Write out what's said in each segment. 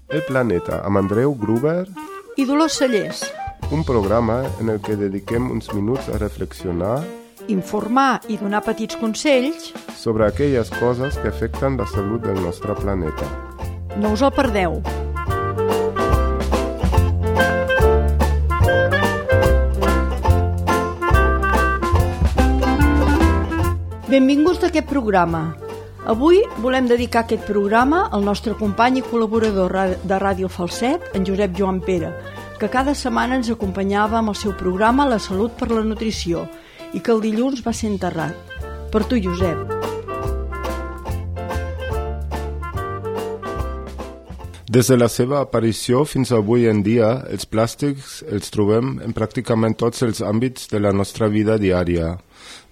El Planeta, amb Andreu Gruber i Dolors Cellers. Un programa en el que dediquem uns minuts a reflexionar, informar i donar petits consells sobre aquelles coses que afecten la salut del nostre planeta. No us el perdeu. Benvinguts a aquest programa. Avui volem dedicar aquest programa al nostre company i col·laborador de Ràdio Falset, en Josep Joan Pere, que cada setmana ens acompanyava amb el seu programa La Salut per la Nutrició i que el dilluns va ser enterrat. Per tu, Josep. Des de la seva aparició fins avui en dia, els plàstics els trobem en pràcticament tots els àmbits de la nostra vida diària.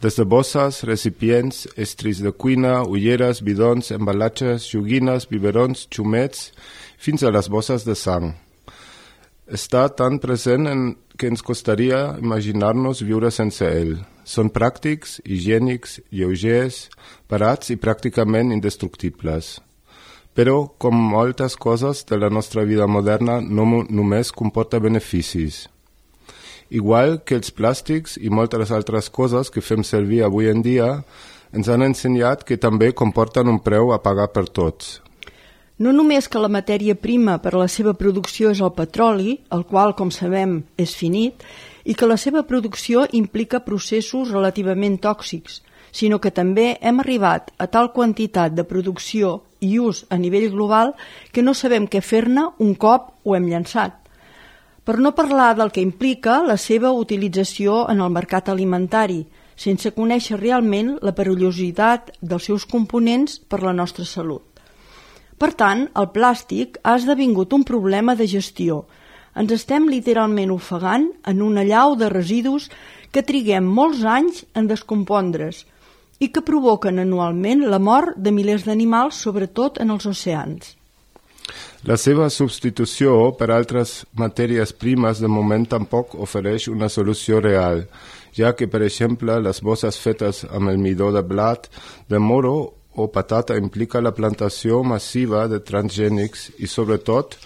Des de bosses, recipients, estris de cuina, ulleres, bidons, embalatges, joguines, biberons, xumets, fins a les bosses de sang. Està tan present que ens costaria imaginar-nos viure sense ell. Són pràctics, higiènics, lleugers, barats i pràcticament indestructibles. Però, com moltes coses de la nostra vida moderna, no només comporta beneficis. Igual que els plàstics i moltes altres coses que fem servir avui en dia, ens han ensenyat que també comporten un preu a pagar per tots. No només que la matèria prima per a la seva producció és el petroli, el qual, com sabem, és finit, i que la seva producció implica processos relativament tòxics, sinó que també hem arribat a tal quantitat de producció i ús a nivell global que no sabem què fer-ne un cop ho hem llançat. Per no parlar del que implica la seva utilització en el mercat alimentari, sense conèixer realment la perillositat dels seus components per la nostra salut. Per tant, el plàstic ha esdevingut un problema de gestió. Ens estem literalment ofegant en una allau de residus que triguem molts anys en descompondre's i que provoquen anualment la mort de milers d'animals, sobretot en els oceans. La seva substitució per altres matèries primes de moment tampoc ofereix una solució real, ja que, per exemple, les bosses fetes amb el midó de blat, de moro o patata implica la plantació massiva de transgènics i, sobretot,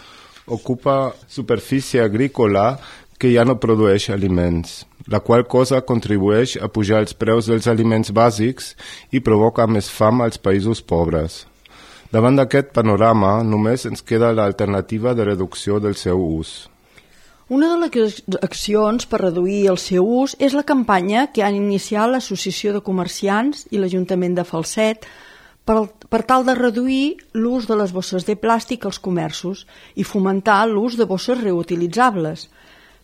ocupa superfície agrícola que ja no produeix aliments, la qual cosa contribueix a pujar els preus dels aliments bàsics i provoca més fam als països pobres. Davant d'aquest panorama, només ens queda l'alternativa de reducció del seu ús. Una de les accions per reduir el seu ús és la campanya que han iniciat l'Associació de Comerciants i l'Ajuntament de Falset per tal de reduir l'ús de les bosses de plàstic als comerços i fomentar l'ús de bosses reutilitzables.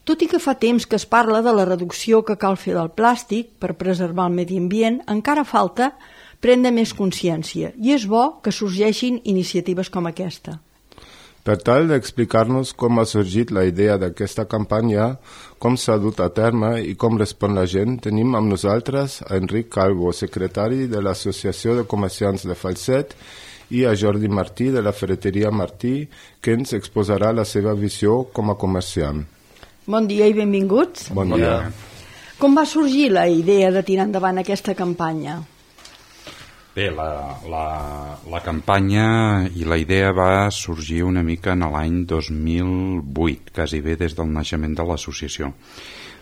Tot i que fa temps que es parla de la reducció que cal fer del plàstic per preservar el medi ambient, encara falta prendre més consciència i és bo que sorgeixin iniciatives com aquesta. Per tal d'explicar-nos com ha sorgit la idea d'aquesta campanya, com s'ha dut a terme i com respon la gent, tenim amb nosaltres a Enric Calvo, secretari de l'Associació de Comerciants de Falset, i a Jordi Martí de la Ferreteria Martí, que ens exposarà la seva visió com a comerciant. Bon dia i benvinguts. Bon dia. Com va sorgir la idea de tirar endavant aquesta campanya? Bé, la campanya i la idea va sorgir una mica en l'any 2008, quasi bé des del naixement de l'associació,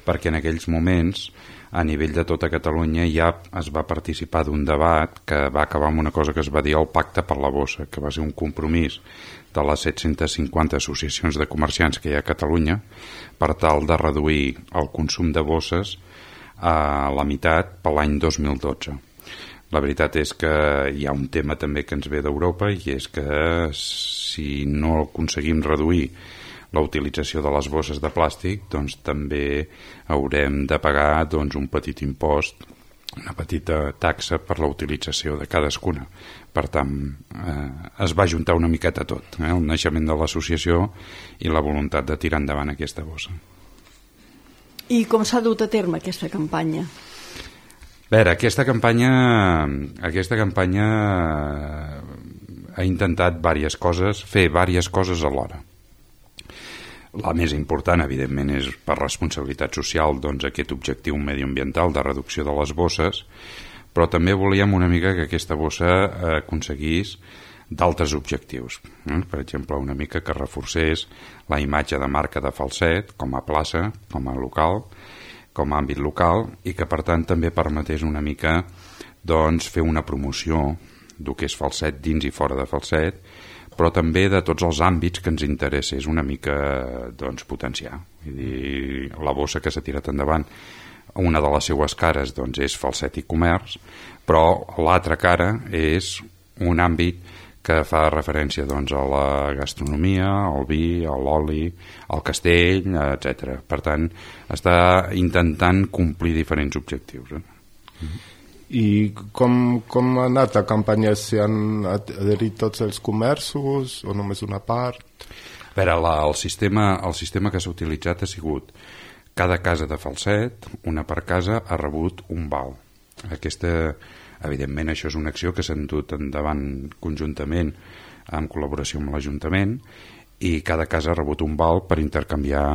perquè en aquells moments, a nivell de tota Catalunya, ja es va participar d'un debat que va acabar amb una cosa que es va dir el Pacte per la Bossa, que va ser un compromís de les 750 associacions de comerciants que hi ha a Catalunya per tal de reduir el consum de bosses a la meitat per l'any 2012. La veritat és que hi ha un tema també que ens ve d'Europa i és que si no aconseguim reduir la utilització de les bosses de plàstic, doncs també haurem de pagar un petit impost, una petita taxa per la utilització de cadascuna. Per tant, es va juntar una miqueta tot, el naixement de l'associació i la voluntat de tirar endavant aquesta bossa. I com s'ha dut a terme aquesta campanya? A veure, aquesta campanya ha intentat fer diverses coses alhora. La més important, evidentment, és per responsabilitat social aquest objectiu mediambiental de reducció de les bosses, però també volíem una mica que aquesta bossa aconseguís d'altres objectius. Per exemple, una mica que reforcés la imatge de marca de Falset com a plaça, com a local, com a àmbit local, i que per tant també permetés una mica doncs, fer una promoció del que és Falset dins i fora de Falset, però també de tots els àmbits que ens interessés una mica doncs, potenciar. Vull dir, la bossa que s'ha tirat endavant, una de les seues cares doncs, és Falset i comerç, però l'altra cara és un àmbit que fa referència doncs, a la gastronomia, al vi, a l'oli, al castell, etc. Per tant, està intentant complir diferents objectius. I com ha anat la campanya? S'hi han adherit tots els comerços o només una part? A veure, el sistema que s'ha utilitzat ha sigut cada casa de Falset, una per casa, ha rebut un val. Evidentment, això és una acció que s'ha dut endavant conjuntament en col·laboració amb l'Ajuntament, i cada casa ha rebut un val per intercanviar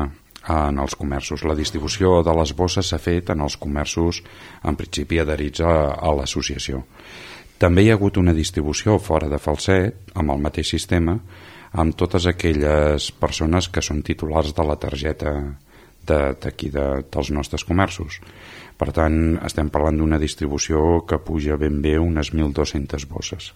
en els comerços. La distribució de les bosses s'ha fet en els comerços en principi adherits a l'associació. També hi ha hagut una distribució fora de Falset amb el mateix sistema, amb totes aquelles persones que són titulars de la targeta d'aquí dels nostres comerços. Per tant, estem parlant d'una distribució que puja ben bé unes 1.200 bosses.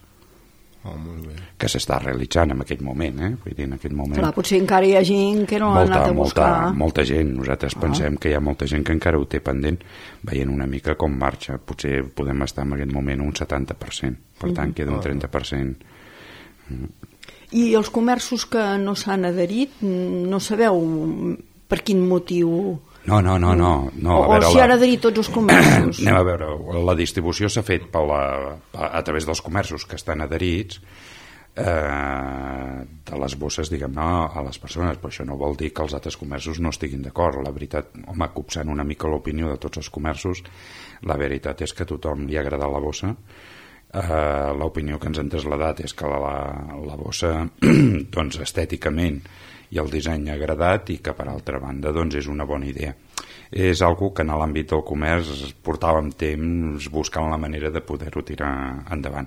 Molt bé. Que s'està realitzant en aquell moment, Vull dir, en aquest moment. Clar, potser encara hi ha gent que no ha anat a buscar. Molta gent. Nosaltres pensem que hi ha molta gent que encara ho té pendent, veient una mica com marxa. Potser podem estar en aquest moment un 70%. Per tant, queda un 30%. I els comerços que no s'han adherit, no sabeu per quin motiu? No. O s'hi han adherit tots els comerços? Anem a veure, la distribució s'ha fet a través dels comerços que estan adherits de les bosses, diguem-ne, a les persones, però això no vol dir que els altres comerços no estiguin d'acord. La veritat, home, copsant una mica l'opinió de tots els comerços, la veritat és que a tothom li ha agradat la bossa. L'opinió que ens han traslladat és que la bossa doncs, estèticament i el disseny ha agradat, i que per altra banda doncs, és una bona idea. És algo que en l'àmbit del comerç portàvem temps buscant la manera de poder-ho tirar endavant.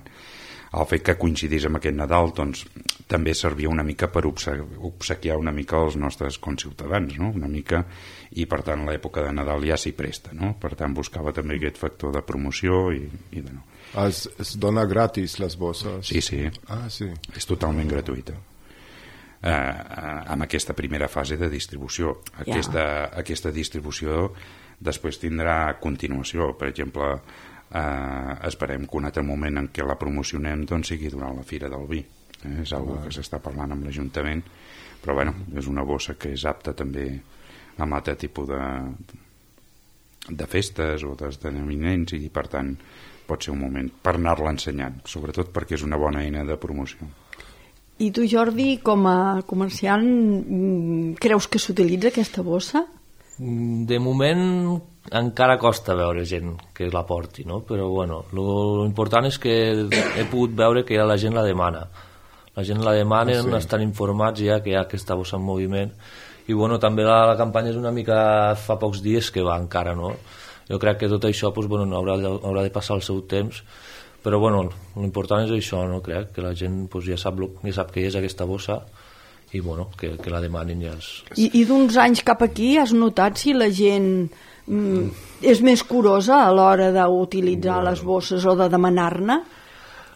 El fet que coincidís amb aquest Nadal doncs, també servia una mica per obsequiar una mica els nostres conciutadans, no? Una mica, i per tant l'època de Nadal ja s'hi presta, no? Per tant buscava també aquest factor de promoció i de no. Es dona gratis les bosses? Sí. Sí. És totalment gratuïta. Amb aquesta primera fase de distribució. Aquesta distribució després tindrà continuació. Per exemple, esperem que un altre moment en què la promocionem doncs, sigui durant la Fira del Vi. És una que s'està parlant amb l'Ajuntament, però bueno, és una bossa que és apta també amb altre tipus de festes o d'esdeveniments, i per tant pot ser un moment per anar-la ensenyant, sobretot perquè és una bona eina de promoció. I tu, Jordi, com a comerciant, creus que s'utilitza aquesta bossa? De moment encara costa veure gent que la porti, no? Però bueno, l'important és que he pogut veure que ja la gent la demana. La gent la demana, estan informats ja que hi ha aquesta bossa en moviment, i bueno, també la campanya és una mica fa pocs dies que va encara, no? Jo crec que tot això pues, bueno, haurà de passar el seu temps, però bueno, l'important és això, no? Crec que la gent pues, ja sap què és aquesta bossa, i bueno, que la demanin ja és... I d'uns anys cap aquí has notat si la gent és més curosa a l'hora d'utilitzar les bosses o de demanar-ne?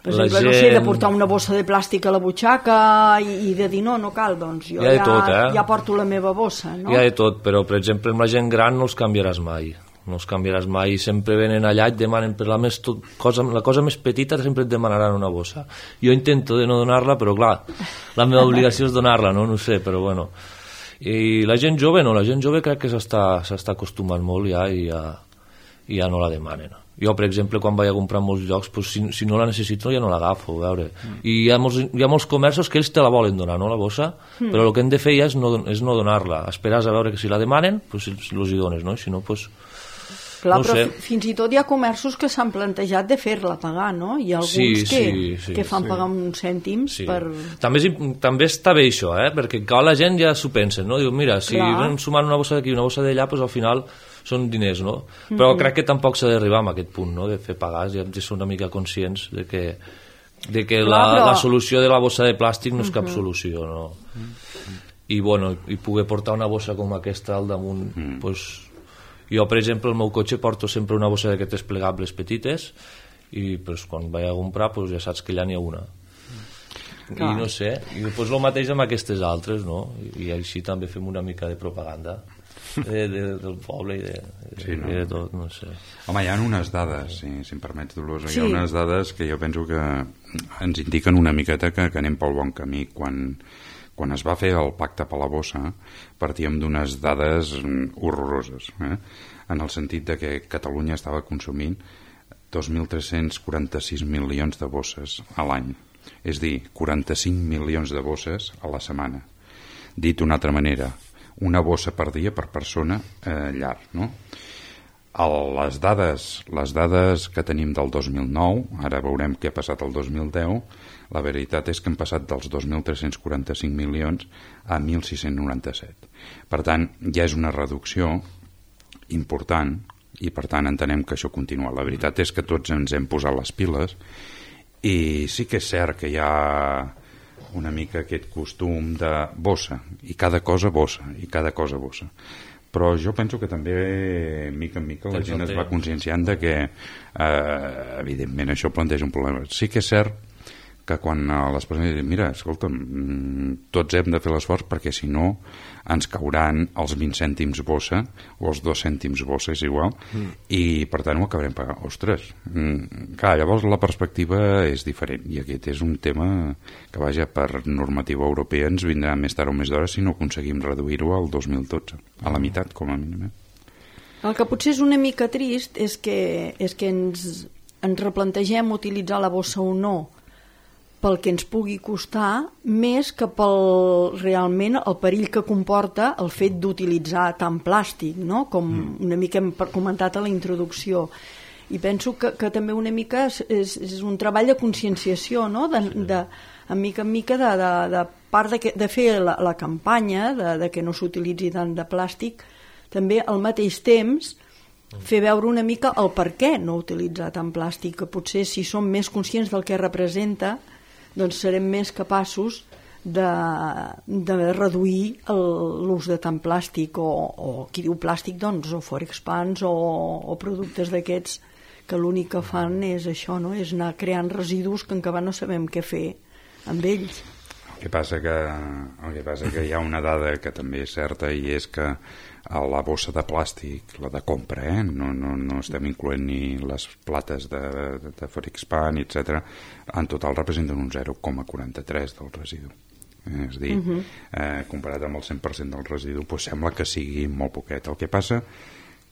Per exemple, no sé, de portar una bossa de plàstic a la butxaca i de dir no cal, doncs jo ja porto la meva bossa, no? Hi ha de tot, però per exemple amb la gent gran no els canviaràs mai, sempre venen allà i et demanen per la cosa més petita, sempre et demanaran una bossa. Jo intento de no donar-la, però clar, la meva obligació és donar-la, no sé, però bueno. I la gent jove crec que s'està acostumant molt ja i ja no la demanen. Jo, per exemple, quan vaig a comprar en molts llocs, pues, si no la necessito ja no l'agafo, a veure. I hi ha molts comerços que ells te la volen donar, no, la bossa, però el que hem de fer ja és no donar-la, esperar a veure que si la demanen, pues, els hi dones, no? Si no, pues... Clar, no però fins i tot hi ha comerços que s'han plantejat de fer-la pagar, no? Hi ha alguns que fan pagar uns cèntims per... També està bé això, perquè la gent ja s'ho pensa, no? Diu, mira, si vam sumar una bossa d'aquí i una bossa d'allà, doncs al final són diners, no? Però crec que tampoc s'ha d'arribar a aquest punt, no? De fer pagar, ja hem de ser una mica conscients de que de que la solució de la bossa de plàstic no és cap solució, no? I bueno, i poder portar una bossa com aquesta al damunt, pues, jo per exemple al meu cotxe porto sempre una bossa d'aquestes plegables petites i pues, quan vaig a comprar pues, ja saps que ja n'hi ha una. I no sé, i després el mateix amb aquestes altres, no? I així també fem una mica de propaganda del poble i de tot, no sé. Home, hi ha unes dades, si em permets, Dolors, hi ha unes dades que jo penso que ens indiquen una miqueta que anem pel bon camí. Quan es va fer el pacte per la bossa partíem d'unes dades horroroses, en el sentit de que Catalunya estava consumint 2.346 milions de bosses a l'any, és dir, 45 milions de bosses a la setmana. Dit d'una altra manera, una bossa per dia per persona llar, no? Les dades que tenim del 2009, ara veurem què ha passat el 2010, la veritat és que hem passat dels 2.345 milions a 1.697. Per tant, ja és una reducció important i per tant entenem que això continua. La veritat és que tots ens hem posat les piles i sí que és cert que hi ha una mica aquest costum de bossa, i cada cosa bossa, però jo penso que també mica en mica la gent es va conscienciant de que evidentment això planteja un problema. Sí que és cert que quan les persones diuen mira, escolta'm, tots hem de fer l'esforç perquè si no ens cauran els 20 cèntims bossa o els 2 cèntims bossa, és igual, i per tant ho acabarem pagant. Ostres, clar, llavors la perspectiva és diferent i aquest és un tema que vaja, per normativa europea ens vindrà més tard o més d'hora si no aconseguim reduir-ho al 2012, a la meitat com a mínim. El que potser és una mica trist és que ens replantegem utilitzar la bossa o no pel que ens pugui costar, més que pel realment el perill que comporta el fet d'utilitzar tant plàstic, no? Com una mica hem comentat a la introducció. I penso que també una mica és un treball de conscienciació, no? En mica de part de fer la campanya de que no s'utilitzi tant de plàstic, també al mateix temps fer veure una mica el per què no utilitzar tant plàstic, que potser si som més conscients del que representa doncs serem més capaços de reduir l'ús de tant plàstic o qui diu plàstic doncs o forexpans o productes d'aquests que l'únic que fan és això, no? És anar creant residus que encara no sabem què fer amb ells. El que passa que hi ha una dada que també és certa i és que la bossa de plàstic, la de compra, no estem incloent ni les plates de Forexpan, etc., en total representen un 0,43 del residu. És a dir, comparat amb el 100% del residu, doncs sembla que sigui molt poquet. El que passa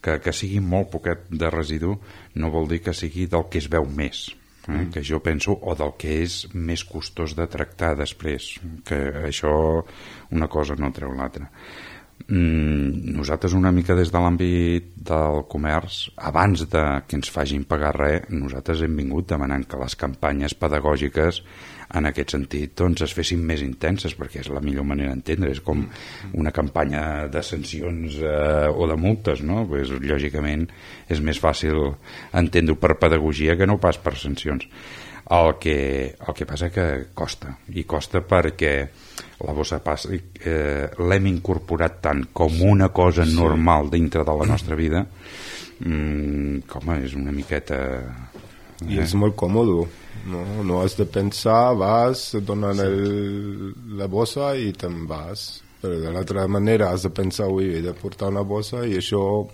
que sigui molt poquet de residu no vol dir que sigui del que es veu més, que jo penso, o del que és més costós de tractar després, que això una cosa no treu l'altra. Nosaltres una mica des de l'àmbit del comerç, abans de que ens facin pagar res, nosaltres hem vingut demanant que les campanyes pedagògiques en aquest sentit doncs es fessin més intenses, perquè és la millor manera d'entendre, és com una campanya de sancions o de multes, no? Pues, lògicament és més fàcil entendre-ho per pedagogia que no pas per sancions. El que passa que costa, i costa perquè la bossa de plàstic l'hem incorporat tant com una cosa normal dintre de la nostra vida, com és una miqueta... I és molt còmode, no has de pensar, vas, et donen la bossa i te'n vas. Però de l'altra manera has de pensar, he de portar una bossa i això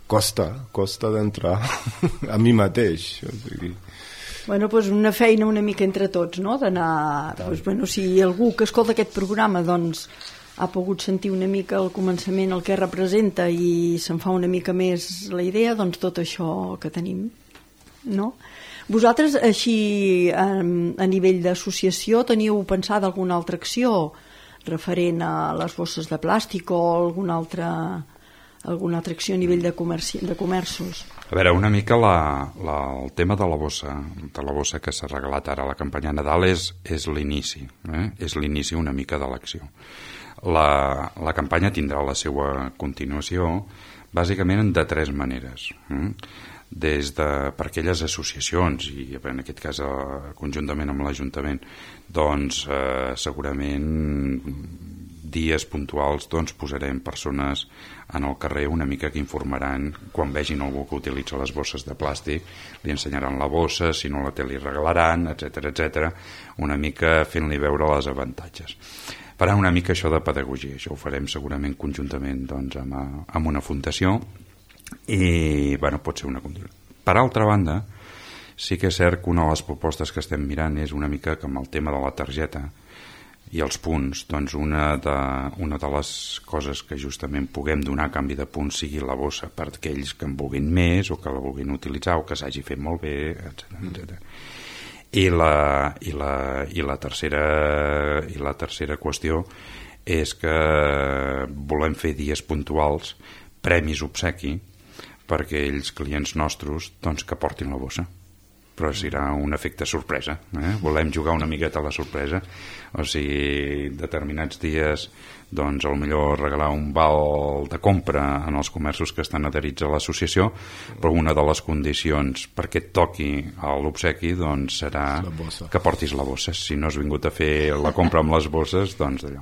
costa d'entrar a mi mateix, o sigui... Bueno, doncs una feina una mica entre tots, no? D'anar... Doncs, bueno, si algú que escolta aquest programa doncs, ha pogut sentir una mica al començament el que representa i se'n fa una mica més la idea, doncs tot això que tenim, no? Vosaltres, així, a nivell d'associació, teníeu pensada alguna altra acció referent a les bosses de plàstic o alguna altra acció a nivell de comerços? A veure, una mica el tema de la bossa que s'ha regalat ara a la campanya Nadal és l'inici, és l'inici una mica de l'acció. La campanya tindrà la seva continuació bàsicament de 3 maneres. per aquelles associacions i en aquest cas conjuntament amb l'Ajuntament, doncs segurament dies puntuals doncs posarem persones en el carrer una mica que informaran quan vegin algú que utilitza les bosses de plàstic, li ensenyaran la bossa, si no la té li regalaran, etc, una mica fent-li veure les avantatges. Farà una mica això de pedagogia, això ho farem segurament conjuntament doncs, amb una fundació i bueno, pot ser una condició. Per altra banda, sí que és cert que una de les propostes que estem mirant és una mica que amb el tema de la targeta i els punts, doncs una de les coses que justament puguem donar a canvi de punts sigui la bossa per aquells que en vulguin més o que la vulguin utilitzar o que s'hagi fet molt bé, etc. I la tercera qüestió és que volem fer dies puntuals, premis obsequi per aquells clients nostres doncs, que portin la bossa, però serà un efecte sorpresa, volem jugar una miqueta a la sorpresa, o sigui, determinats dies doncs millor regalar un val de compra en els comerços que estan adherits a l'associació, però una de les condicions perquè et toqui l'obsequi doncs serà que portis la bossa. Si no has vingut a fer la compra amb les bosses, doncs d'allò.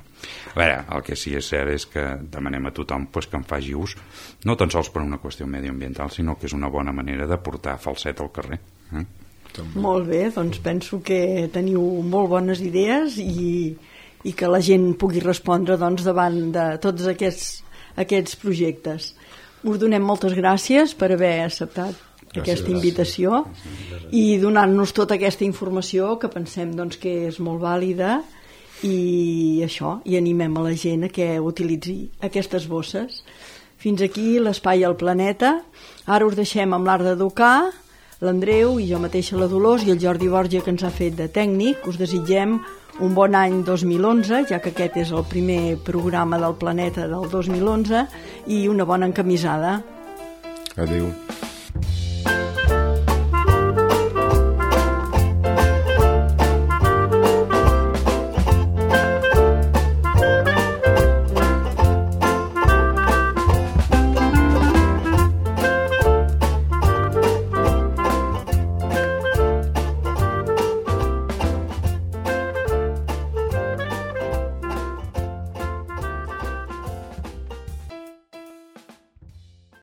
A veure, el que sí és cert és que demanem a tothom pues, que en faci ús, no tan sols per una qüestió medioambiental, sinó que és una bona manera de portar falset al carrer. Molt bé, doncs penso que teniu molt bones idees i que la gent pugui respondre doncs, davant de tots aquests projectes. Us donem moltes gràcies per haver acceptat aquesta invitació i donant-nos tota aquesta informació que pensem doncs, que és molt vàlida i això, i animem a la gent a que utilitzi aquestes bosses. Fins aquí l'Espai al Planeta. Ara us deixem amb l'Art d'Educar, l'Andreu i jo mateixa la Dolors i el Jordi Borja que ens ha fet de tècnic. Us desitgem un bon any 2011, ja que aquest és el primer programa del Planeta del 2011, i una bona encamisada. Adéu.